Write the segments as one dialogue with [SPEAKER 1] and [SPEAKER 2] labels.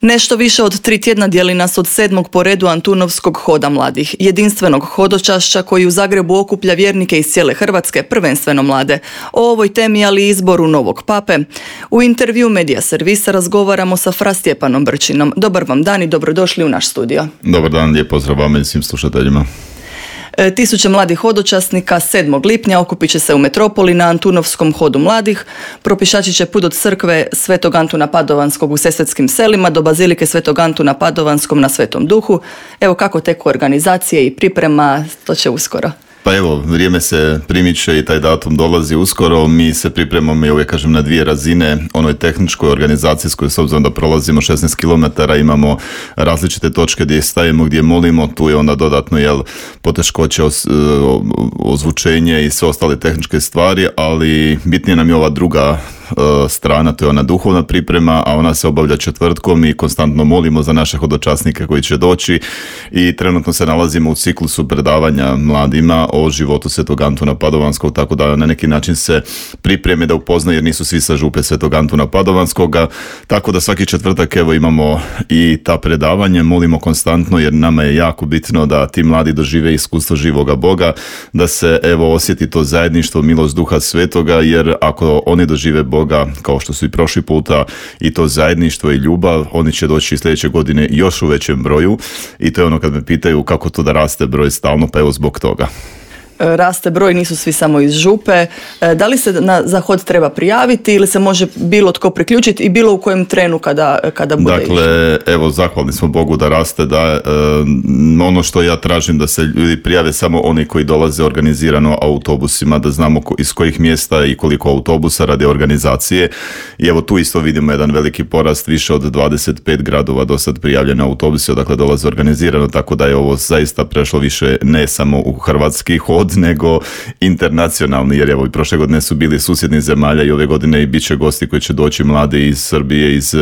[SPEAKER 1] Nešto više od 3 tjedna dijeli nas od 7. po redu Antunovskog hoda mladih, jedinstvenog hodočašća koji u Zagrebu okuplja vjernike iz cijele Hrvatske, prvenstveno mlade. O ovoj temi, ali i izboru novog pape. U intervju Medija servisa razgovaramo sa Fra Stjepanom Brčinom. Dobar vam dan i dobrodošli u naš studio.
[SPEAKER 2] Dobar dan, lijep pozdrav vama i svim slušateljima.
[SPEAKER 1] Tisuće mladih hodočasnika 7. lipnja okupit će se u metropoli na Antunovskom hodu mladih. Propišači će put od crkve Svetog Antuna Padovanskog u Sesvetskim selima do bazilike Svetog Antuna Padovanskom na Svetom Duhu. Evo kako teku organizacije i priprema, to će uskoro.
[SPEAKER 2] Pa evo, vrijeme se primiče i taj datum dolazi uskoro. Mi se pripremamo, ja uvijek kažem, na 2 razine. Onoj tehničkoj, organizacijskoj, s obzirom da prolazimo 16 km, imamo različite točke gdje stajemo, gdje molimo. Tu je onda dodatno poteškoće ozvučenje i sve ostale tehničke stvari, ali bitnije nam je ova druga strana, to je ona duhovna priprema, a ona se obavlja četvrtkom i konstantno molimo za naše hodočasnike koji će doći i trenutno se nalazimo u ciklusu predavanja mladima o životu Svetog Antuna Padovanskog, tako da na neki način se pripreme da upoznaju, jer nisu svi sa župe Svetog Antuna Padovanskoga, tako da svaki četvrtak imamo i ta predavanje, molimo konstantno jer nama je jako bitno da ti mladi dožive iskustvo živoga Boga, da se osjeti to zajedništvo, milost Duha Svetoga, jer ako oni dožive Boga, kao što su i prošli puta, i to zajedništvo i ljubav, oni će doći sljedeće godine još u većem broju i to je ono kad me pitaju kako to da raste broj stalno, pa evo zbog toga.
[SPEAKER 1] Raste broj, nisu svi samo iz župe. Da li se za hod treba prijaviti ili se može bilo tko priključiti i bilo u kojem trenu kada bude išlo?
[SPEAKER 2] Dakle, evo, zahvalni smo Bogu da raste, da ono što ja tražim da se ljudi prijave samo oni koji dolaze organizirano autobusima, da znamo iz kojih mjesta i koliko autobusa radi organizacije. I evo tu isto vidimo jedan veliki porast, više od 25 gradova do sad prijavljene autobuse, dakle dolaze organizirano, tako da je ovo zaista prešlo više ne samo u hrvatski hod, nego internacionalni, jer evo i prošle godine su bili susjednih zemalja i ove godine i bit će gosti koji će doći mladi iz Srbije, iz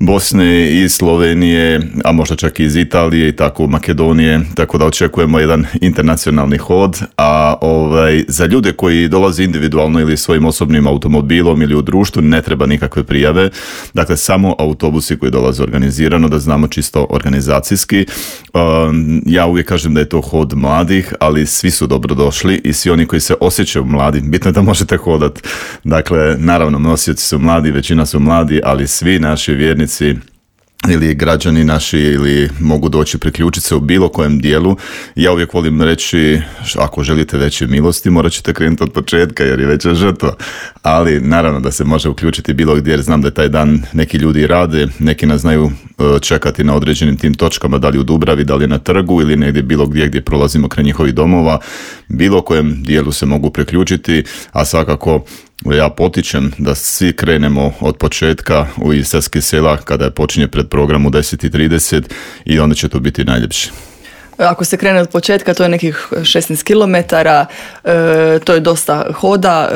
[SPEAKER 2] Bosne, iz Slovenije, a možda čak i iz Italije i tako Makedonije, tako da očekujemo jedan internacionalni hod, a za ljude koji dolaze individualno ili svojim osobnim automobilom ili u društvu ne treba nikakve prijave, dakle samo autobusi koji dolaze organizirano, da znamo čisto organizacijski. Ja uvijek kažem da je to hod mladih, ali svi su dobro došli i svi oni koji se osjećaju mladi, bitno je da možete hodati. Dakle, naravno, nosioci su mladi, većina su mladi, ali svi naši vjernici ili građani naši ili mogu doći priključiti se u bilo kojem dijelu. Ja uvijek volim reći, ako želite veće milosti, morat ćete krenuti od početka jer je veća žrtva. Ali naravno da se može uključiti bilo gdje, jer znam da taj dan neki ljudi rade, neki nas znaju čekati na određenim tim točkama, da li u Dubravi, da li na trgu ili negdje bilo gdje prolazimo kraj njihovih domova. Bilo kojem dijelu se mogu priključiti, a svakako ja potičem da svi krenemo od početka iz Sesvetskih sela kada počinje pred program u 10:30 i onda će to biti najljepše.
[SPEAKER 1] Ako se krene od početka, to je nekih 16 km, to je dosta hoda.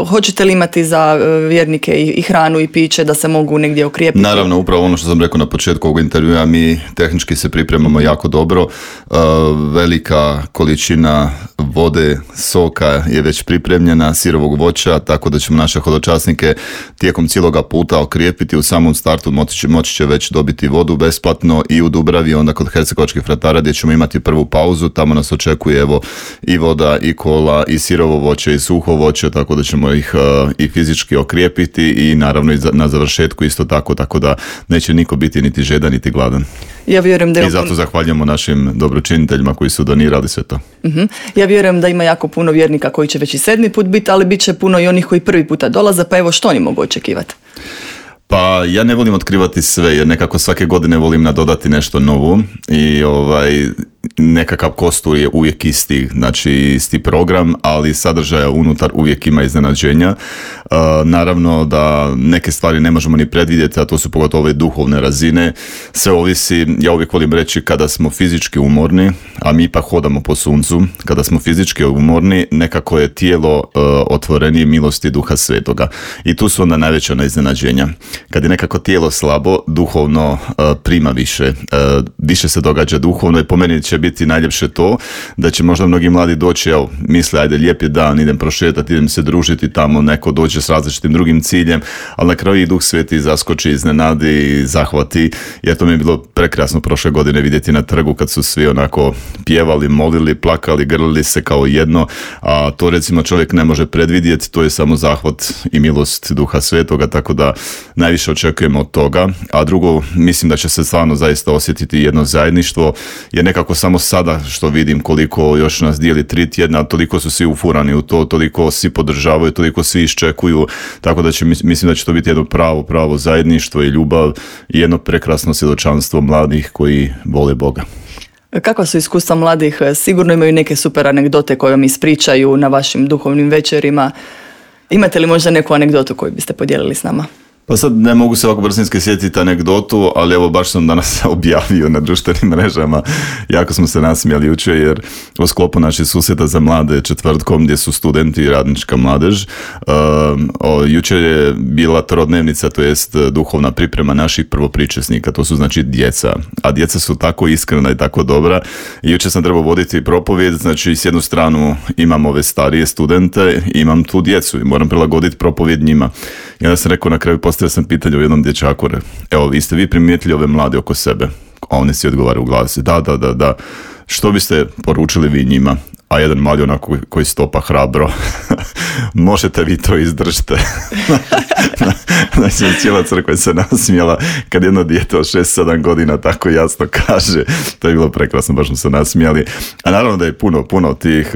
[SPEAKER 1] Hoćete li imati za vjernike i hranu i piće da se mogu negdje okrijepiti?
[SPEAKER 2] Naravno, upravo ono što sam rekao na početku ovog intervjua, mi tehnički se pripremamo jako dobro. Velika količina vode, soka je već pripremljena, sirovog voća, tako da ćemo naše hodočasnike tijekom cijeloga puta okrijepiti. U samom startu moći će već dobiti vodu besplatno i u Dubravi, onda kod hercegovačkih fratara gdje ćemo imati prvu pauzu, tamo nas očekuje i voda, i kola, i sirovo voće, i suho voće, tako da ćemo ih i fizički okrijepiti i naravno i na završetku isto tako da neće niko biti niti žedan niti gladan.
[SPEAKER 1] Ja vjerujem da
[SPEAKER 2] I zato zahvaljujemo našim dobročiniteljima koji su donirali sve to.
[SPEAKER 1] Ja vjerujem da ima jako puno vjernika koji će već i 7. put biti, ali bit će puno i onih koji prvi puta dolaze, pa evo što oni mogu očekivati?
[SPEAKER 2] Pa ja ne volim otkrivati sve, jer nekako svake godine volim nadodati nešto novo i nekakav kostur je uvijek isti, znači isti program, ali sadržaja unutar uvijek ima iznenađenja. Naravno da neke stvari ne možemo ni predvidjeti, a to su pogotovo ove duhovne razine. Sve ovisi, ja uvijek volim reći, kada smo fizički umorni, a mi ipak hodamo po suncu, kada smo fizički umorni, nekako je tijelo otvorenije milosti Duha Svetoga. I tu su onda najveća iznenađenja. Kad je nekako tijelo slabo, duhovno prima više se događa duhovno i po meni će biti najljepše to da će možda mnogi mladi doći, evo, misle, ajde, lijep je dan, idem prošetati, idem se družiti tamo, neko dođe s različitim drugim ciljem, ali na kraju i Duh Sveti zaskoči, iznenadi, zahvati, jer to mi je bilo prekrasno prošle godine vidjeti na trgu kad su svi onako pjevali, molili, plakali, grlili se kao jedno, a to recimo čovjek ne može predvidjeti, to je samo zahvat i milost Duha Svetoga, tako da najviše očekujemo od toga, a drugo, mislim da će se stvarno zaista osjetiti jedno zajedništvo, jer nekako samo sada što vidim koliko još nas dijeli 3 tjedna, toliko su svi ufurani u to, toliko svi podržavaju, toliko svi iščekuju, tako da mislim da će to biti jedno pravo zajedništvo i ljubav i jedno prekrasno svjedočanstvo mladih koji vole Boga.
[SPEAKER 1] Kakva su iskustva mladih? Sigurno imaju neke super anegdote koje vam ispričaju na vašim duhovnim večerima. Imate li možda neku anegdotu koju biste podijelili s nama?
[SPEAKER 2] Pa sad ne mogu se ovako brzinski sjetiti anegdotu, ali evo baš sam danas objavio na društvenim mrežama. Jako smo se nasmijali jučer jer u sklopu naših susjeta za mlade četvrtkom gdje su studenti i radnička mladež. Jučer je bila trodnevnica, to jest duhovna priprema naših prvopričesnika, to su znači djeca. A djeca su tako iskrena i tako dobra. I jučer sam trebao voditi propovijed, znači s jednu stranu imam ove starije studente, imam tu djecu i moram prilagoditi propovijed njima. I onda sam rekao na kraju, postavio sam pitanje u jednom dječaku, evo, jeste vi primijetili ove mlade oko sebe? A oni si odgovaraju u glasi, da. Što biste poručili vi njima? A jedan mali onako koji stopa hrabro, možete vi to izdržite. Znači, cijela crkva se nasmijala kad jedno dijete od 6-7 godina tako jasno kaže. To je bilo prekrasno, baš smo se nasmijali. A naravno da je puno tih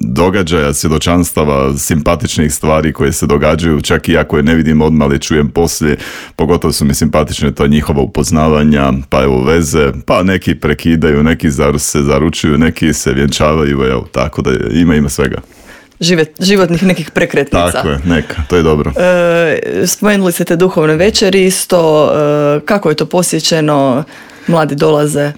[SPEAKER 2] događaja, svjedočanstava, simpatičnih stvari koje se događaju, čak i ako je ne vidim odmah, ali čujem poslije. Pogotovo su mi simpatične to njihova upoznavanja, pa evo veze, pa neki prekidaju, neki se zaručuju, neki se vjenčavaju, evo, tako da ima svega.
[SPEAKER 1] Životnih nekih prekretnica.
[SPEAKER 2] Tako je, neka, to je dobro.
[SPEAKER 1] Spomenuli ste te duhovne večeri isto, kako je to posjećeno, mladi dolaze?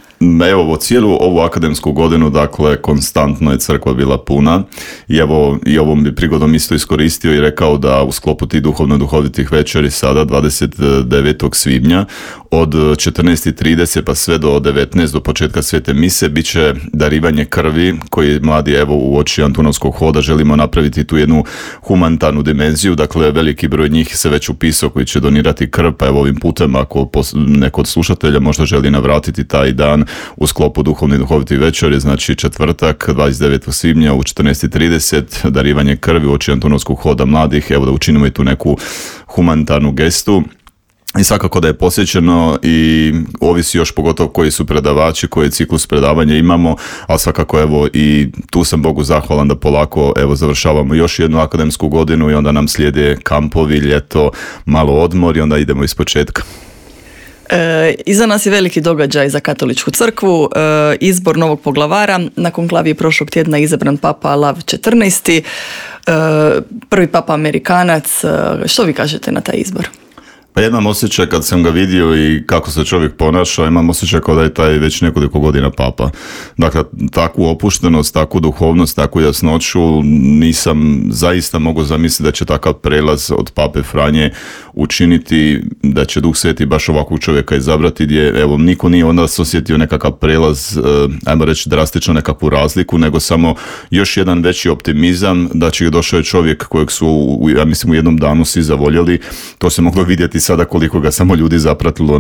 [SPEAKER 2] Evo, cijelu ovu akademsku godinu, dakle, konstantno je crkva bila puna i evo, i ovom bi prigodom isto iskoristio i rekao da u sklopu tih duhovitih večeri sada 29. svibnja od 14.30 pa sve do 19 do početka svete mise bit će darivanje krvi koji mladi evo u oči Antunovskog hoda želimo napraviti tu jednu humanitarnu dimenziju, dakle veliki broj njih se već upisao koji će donirati krv, pa evo ovim putem ako neko od slušatelja možda želi navratiti taj dan u sklopu duhovitih večeri, znači četvrtak 29. svibnja u 14.30 darivanje krvi u oči Antunovskog hoda mladih, evo da učinimo i tu neku humanitarnu gestu. I svakako da je posjećeno i ovisi još pogotovo koji su predavači, koji ciklus predavanja imamo, ali svakako evo i tu sam Bogu zahvalan da polako evo završavamo još jednu akademsku godinu i onda nam slijede kampovi, ljeto, malo odmor i onda idemo ispočetka.
[SPEAKER 1] Iza nas je veliki događaj za katoličku crkvu, izbor novog poglavara. Na konklaviji prošlog tjedna izabran papa Lav XIV, prvi papa Amerikanac. Što vi kažete na taj izbor?
[SPEAKER 2] Pa imam osjećaj kad sam ga vidio i kako se čovjek ponaša, imam osjećaj kao da je taj već nekoliko godina papa. Dakle, takvu opuštenost, takvu duhovnost, takvu jasnoću nisam zaista mogao zamisliti da će takav prelaz od pape Franje učiniti, da će Duh Sveti baš ovakvog čovjeka izabrati gdje, evo, niko nije onda osjetio nekakav prelaz, ajmo reći drastično nekakvu razliku, nego samo još jedan veći optimizam da će došao je čovjek kojeg su, ja mislim, u jednom danu svi zavoljeli. To se moglo vidjeti sada koliko ga samo ljudi zapratilo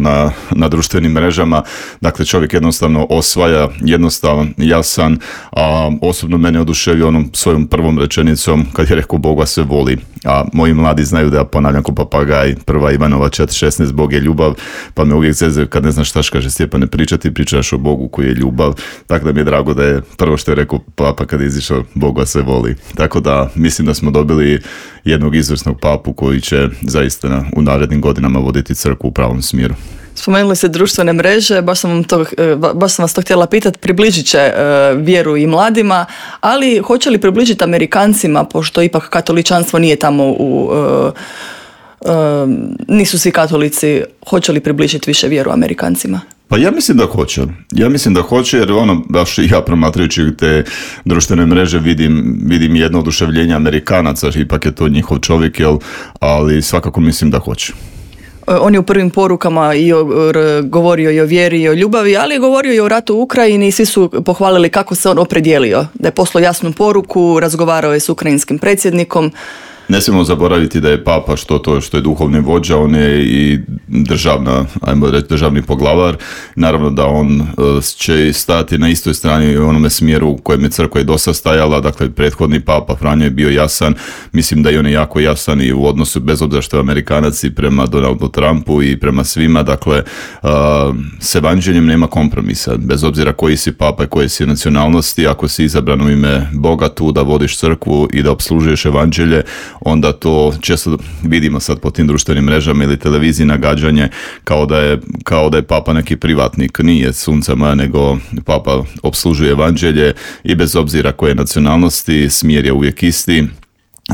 [SPEAKER 2] na društvenim mrežama. Dakle, čovjek jednostavno osvaja, jednostavan, jasan, a osobno mene oduševio onom svojom prvom rečenicom kad je rekao Bog vas sve voli. A moji mladi znaju da ja ponavljam ko papagaj, 1. Ivanova 4.16, Bog je ljubav, pa me uvijek zezaju kad ne znaš šta kaže Stjepane pričaš o Bogu koji je ljubav. Tako da mi je drago da je prvo što je rekao papa kad je izišao Bog vas sve voli. Tako da mislim da smo dobili jednog izvrsnog papu koji će zaista u narednim godinama voditi crkvu u pravom smjeru.
[SPEAKER 1] Spomenuli ste društvene mreže, baš sam vas to htjela pitati, približit će vjeru i mladima, ali hoće li približiti Amerikancima, pošto ipak katoličanstvo nije tamo nisu svi katolici, hoće li približiti više vjeru Amerikancima?
[SPEAKER 2] Pa ja mislim da hoće jer baš ja promatrajući te društvene mreže vidim jedno oduševljenje Amerikanaca, ipak je to njihov čovjek, ali svakako mislim da hoće.
[SPEAKER 1] On je u prvim porukama govorio i o vjeri i o ljubavi, ali je govorio i o ratu u Ukrajini i svi su pohvalili kako se on opredijelio, da je poslao jasnu poruku, razgovarao je s ukrajinskim predsjednikom.
[SPEAKER 2] Ne smijemo zaboraviti da je papa što je duhovni vođa, on je i državni poglavar. Naravno da on će stati na istoj strani u onome smjeru u kojem je crkva i dosad stajala. Dakle, prethodni papa Franjo je bio jasan. Mislim da i on je jako jasan i u odnosu, bez obzira što je Amerikanac, i prema Donaldu Trumpu i prema svima. Dakle, s evanđeljem nema kompromisa. Bez obzira koji si papa i koje si nacionalnosti, ako si izabran u ime Boga tu da vodiš crkvu i da opslužuješ evanđelje, onda to često vidimo sad po tim društvenim mrežama ili televiziji nagađanje kao da je papa neki privatnik. Nije, sunca moja, nego papa opslužuje evanđelje i bez obzira koje nacionalnosti, smjer je uvijek isti.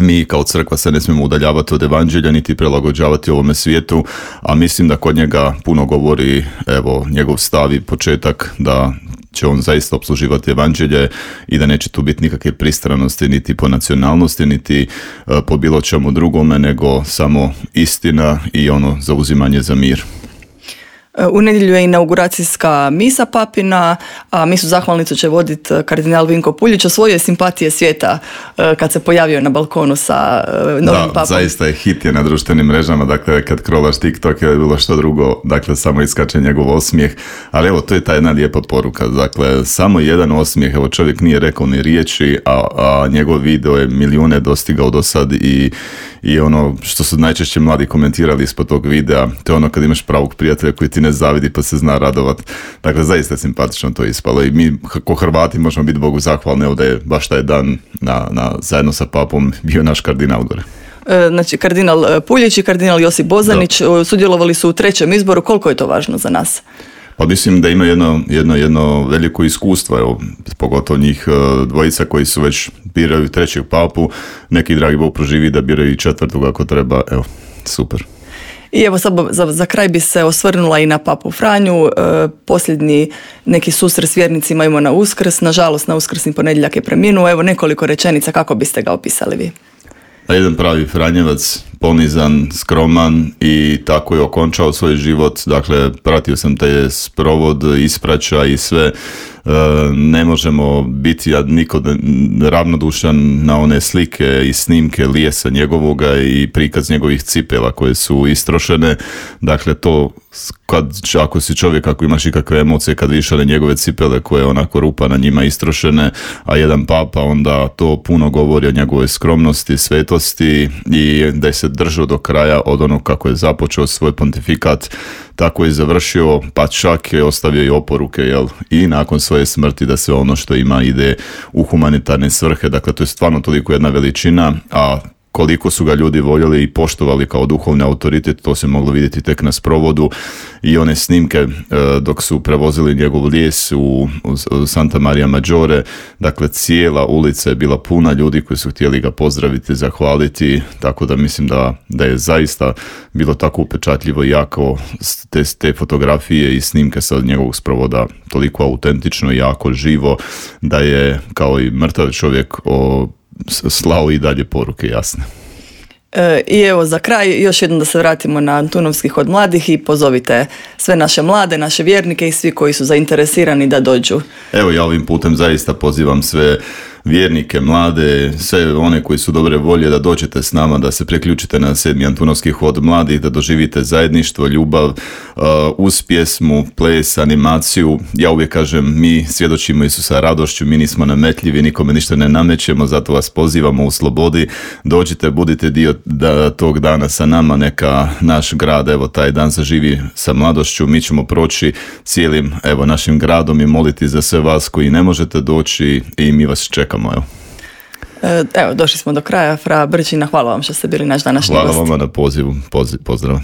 [SPEAKER 2] Mi kao crkva se ne smijemo udaljavati od evanđelja niti prilagođavati ovome svijetu, a mislim da kod njega puno govori njegov stav i početak da će on zaista opsluživati evanđelje i da neće tu biti nikakve pristranosti niti po nacionalnosti niti po bilo čemu drugome, nego samo istina i zauzimanje za mir.
[SPEAKER 1] U nedjelju je inauguracijska misa papina, a misu zahvalnicu će voditi kardinal Vinko Puljić. Osvojio je simpatije svijeta kad se pojavio na balkonu sa novim papom. Da,
[SPEAKER 2] zaista je hit je na društvenim mrežama, dakle kad krolaš TikTok je bilo što drugo, dakle samo iskače njegov osmijeh, ali to je ta jedna lijepa poruka, dakle samo jedan osmijeh, čovjek nije rekao ni riječi, a njegov video je milijune dostigao do sad i ono što su najčešće mladi komentirali ispod tog videa, to je kad imaš pravog prijatelja koji ti ne zavidi pa se zna radovat. Dakle, zaista je simpatično to ispalo i mi ko Hrvati možemo biti Bogu zahvalni, evo da je baš taj dan zajedno sa papom bio naš kardinal gore.
[SPEAKER 1] Znači, kardinal Puljić i kardinal Josip Bozanić sudjelovali su u trećem izboru. Koliko je to važno za nas?
[SPEAKER 2] Pa mislim da ima jedno veliko iskustvo, pogotovo njih dvojica koji su već biraju trećeg papu, neki dragi Bog proživi da biraju i četvrtog ako treba, super.
[SPEAKER 1] I evo sad za kraj bi se osvrnula i na papu Franju. Posljednji neki susret s vjernicima imamo na Uskrs, nažalost na uskrsni ponedjeljak je preminuo. Evo nekoliko rečenica, kako biste ga opisali vi?
[SPEAKER 2] Jedan pravi Franjevac, ponizan, skroman i tako je okončao svoj život. Dakle, pratio sam taj sprovod, ispraća i sve. Ne možemo biti niko ravnodušan na one slike i snimke lijesa njegovoga i prikaz njegovih cipela koje su istrošene. Dakle, to ako si čovjek, ako imaš ikakve emocije kad vidiš na njegove cipele koje onako rupa na njima istrošene, a jedan papa, onda to puno govori o njegovoj skromnosti, svetosti i da je se držao do kraja od onog kako je započeo svoj pontifikat, tako je završio, pa čak je ostavio i oporuke, i nakon svoje smrti da sve ono što ima ide u humanitarne svrhe. Dakle, to je stvarno toliko jedna veličina, a koliko su ga ljudi voljeli i poštovali kao duhovni autoritet, to se moglo vidjeti tek na sprovodu i one snimke dok su prevozili njegov lijes u Santa Maria Maggiore. Dakle, cijela ulica je bila puna ljudi koji su htjeli ga pozdraviti, zahvaliti, tako da mislim da je zaista bilo tako upečatljivo i jako te fotografije i snimke sa njegovog sprovoda toliko autentično i jako živo da je kao i mrtav čovjek slao i dalje poruke jasne.
[SPEAKER 1] I evo za kraj još jednom da se vratimo na Antunovski hod mladih i pozovite sve naše mlade, naše vjernike i svi koji su zainteresirani da dođu.
[SPEAKER 2] Evo ja ovim putem zaista pozivam sve vjernike, mlade, sve one koji su dobre volje da dođete s nama, da se priključite na 7. Antunovski hod mladih, da doživite zajedništvo, ljubav, uz pjesmu, ples, animaciju. Ja uvijek kažem, mi svjedočimo Isusa radošću, mi nismo nametljivi, nikome ništa ne namećemo, zato vas pozivamo u slobodi. Dođite, budite dio tog dana sa nama, neka naš grad, evo taj dan zaživi sa mladošću. Mi ćemo proći cijelim našim gradom i moliti za sve vas koji ne možete doći i mi vas čekamo.
[SPEAKER 1] Evo, došli smo do kraja. Fra Brčina, hvala vam što ste bili naš današnji gost.
[SPEAKER 2] Hvala vam na pozivu. Pozdrav.